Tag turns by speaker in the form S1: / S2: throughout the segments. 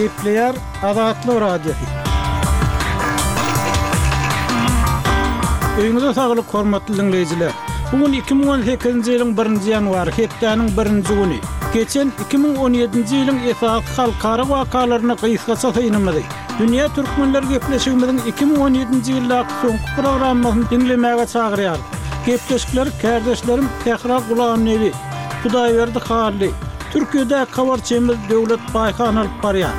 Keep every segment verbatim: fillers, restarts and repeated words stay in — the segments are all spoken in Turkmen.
S1: Gepleýär Azatlyk Radiosy. Öýüňize saglyk hormatly dinleýjiler. Bugün iki müň on sekizinji ýylyň birinji ýanwary, hepdäniň birinji güni. Geçen iki müň on ýedinji ýylyň esasy halkara wakalaryna gysgaça synymyzy. Dünýä Türkmenler gepleşigimiziň iki müň on ýedinji ýyldaky soňky programmasyny dinlemäge çagyrýar. Gepleşikleri kardeşlerim Sähra Gulamnebi, Hudaýberdi Hally, Türkiýede habarçymyz Döwlet Baýhan alyp barýar.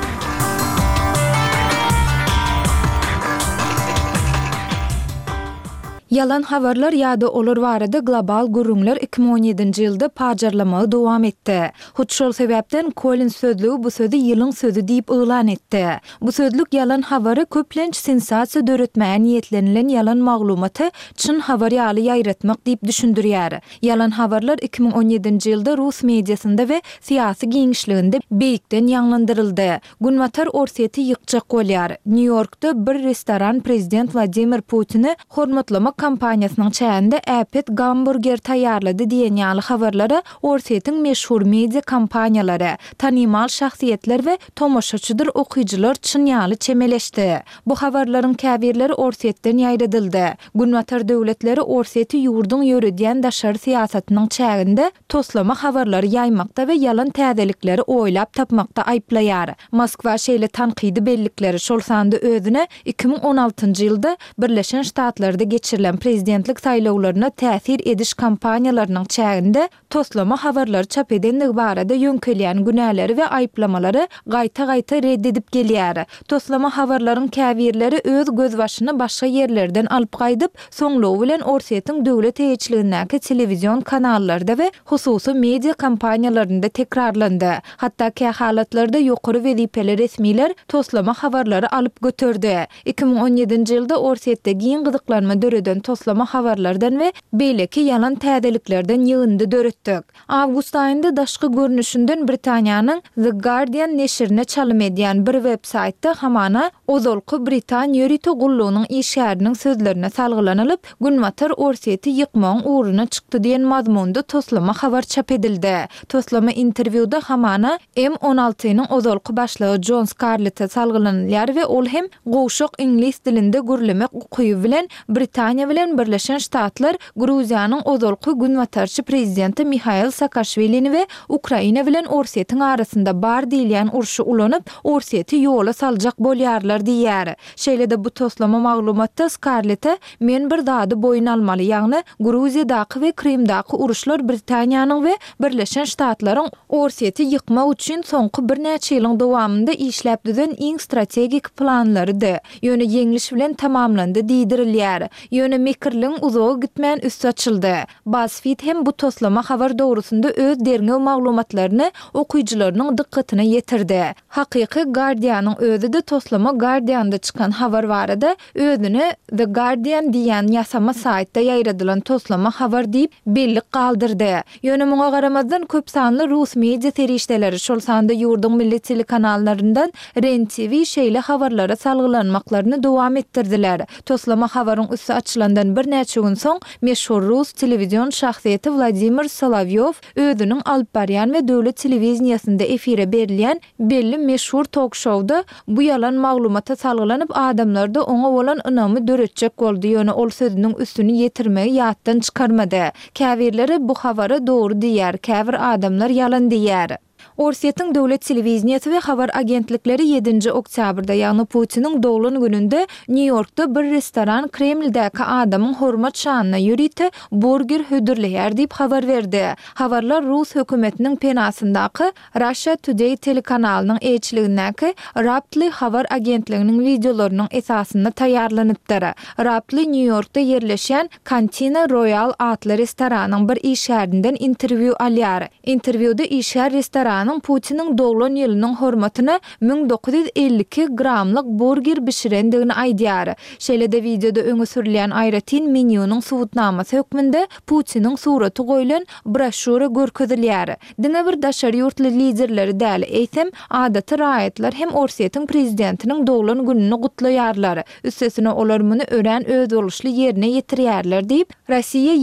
S2: Yalan habarlar ýa-da olar barada global gürrüňler iki müň on ýedinji ýylda pajarlamagy dowam etdi. Hut şol sebäpden Collins sözlügi bu sözi ýylyň sözi diýip yglan etdi. Bu sözlük ýalan habary köplenç sensasiýa döretmäge niýetlenilen ýalan maglumaty çyn habar ýaly ýaýratmak diýip düşündirýär. Ýalan habarlar iki müň on ýedinji ýylda Rus mediasynda we syýasy giňişliginde beýikden ýaňlandyryldy. Günbatar Orsýeti ýykjak bolýar. Nýu-Ýorkda bir restoran prezident Wladimir Putini hormatlamak kampaniýasynyň çäginde äpet gamburger taýýarlady diýen ýaly habarlara Orsýetiň meşhur media kompaniýalary, tanymal şahsyýetler we tomaşaçydyr okyjylar çyn ýaly çemeleşdi. Bu habarlaryň käbirleri Orsýetden ýaýradyldy. Günbatar döwletleri Orsýeti ýurduň ýöredýän daşary syýasatynyň çäginde toslama habarlary ýaýmakda we ýalan täzelikleri oýlap tapmakda aýyplaýar. Moskwa şeýle tankydy bellikleri şol sanda özüne iki müň on altynjy ýylda Birleşen Ştatlarda geçirilen prezidentlik saýlawlaryna täsir ediş kampaniýalarynyň çäginde toslama habarlary çap edenligi barada ýöňkelýän günäleri we aýyplamalary gaýta-gaýta red edip gelýär. Toslama habarlaryň käbirleri öz gözbaşyny başga ýerlerden alyp gaýdyp, soňlugy bilen Orsýetiň döwlet eýeçiligindäki telewizion kanallarda we hususy media kompaniýalarynda tekrarlandy. Hatda kähalatlarda ýokary wezipeli resmiler toslama habarlary alyp göterdi. iki müň on ýedinji ýylda Orsýetde giň gyzyklanma döreden toslama habarlardan we beýleki ýalan täzeliklerden ýygyndy döretdik. Awgust aýynda daşky görnüşinden Britaniýanyň The Guardian neşirine çalym edýän bir web-saýtda hamana ozalky Britan ýörite gullugynyň işgäriniň sözlerine salgylanylyp, Günbatar Orsýeti ýykmagyň ugruna çykdy diýen mazmunda toslama habar çap edildi. Toslama interwýuda hamana M on altynyň ozalky başlygy John Scarlette salgylanylýar we ol hem gowşak iňlis dilinde gürlemek ukyby bilen Britaniýa bilen Birleşen Ştatlar Gruziýanyň ozalky günbatarçy prezidenti Mihail Saakaşwilini we Ukraina bilen Orsýetiň arasynda bar diýilýän urşy ulanyp, Orsýeti ýola saljak bolýarlar diýýär. Şeýle-de bu toslama maglumatda Scarlette men bir zady boýun almaly, ýagny Gruziýadaky we Krymdaky uruşlar Britaniýanyň we Birleşen Ştatlaryň Orsýeti ýykmak üçin soňky birnäçe ýylyň dowamynda işläp düzen iň strategik planlarydy. Ýöne ýeňliş bilen tamamlandy diýdirilýär. Ýöne mekirligiň uzaga gitmän üsti açyldy. BuzzFeed hem bu toslama habar dogrusynda öz derňew maglumatlaryny okyjylarynyň dykgatyna ýetirdi. Hakyky Guardianyň özi-de toslama Guardianda çykan habar barada özüne The Guardian diýen ýasama saýtda ýaýradylan toslama habar diýip bellik galdyrdy. Ýöne muňa garamazdan köp sanly Rus media serişdeleri, şol sanda ýurduň milli telekanallaryndan Ren T V şeýle habarlara salgylanmaklaryny dowam etdirdiler. Toslama habaryň üsti açylandan birnäçe gün soň meşhur Rus telewizion şahsyýeti Wladimir Solovyov özüniň alyp barýan we döwlet telewiziýasynda efire berilýän belli meşhur tok-şowda bu ýalan maglumata salgylanyp adamlarda oňa bolan ynamy döretjek boldy. Ýöne ol sözüniň üstüni ýetirmegi ýatdan çykarmady. Käbirleri bu habara dogry diýer, käbir adamlar ýalan diýer. Orsýetiň döwlet telewiziýasy we habar agentlikleri ýedinji oktýabrda, ýagny Putiniň doglan gününde Nýu-Ýorkda bir restoran Kremldäki adamyň hormat şanyna ýörite burger hödürleýär diýip habar berdi. Habarlar Rus hökümetiniň penasyndaky Russia Today telekanalynyň eýeçiligindäki Raptly habar agentliginiň wideolarynyň esasynda taýýarlanypdyr. Raptly Nýu-Ýorkda ýerleşýän Cantina Royal atly restoranyň bir işgärinden interwýu alýar. Interwýuda işgär restoranyň Putiniň doglan ýylynyň hormatyna müň dokuz ýüz elli iki gramlyk burger bişirendigini aýdýar. Şeýle-de wideoda öňe sürülýän aýratyn menýunyň subutnamasy hökmünde Putiniň suraty goýlan broşýura görkezilýär. Diňe bir daşary ýurtly liderleri däl, eýsem adaty raýatlar hem Orsýetiň prezidentiniň doglan gününi gutlaýarlar. Üstesine olar muny örän özboluşly ýerine ýetirýärler diýip, Rossiýa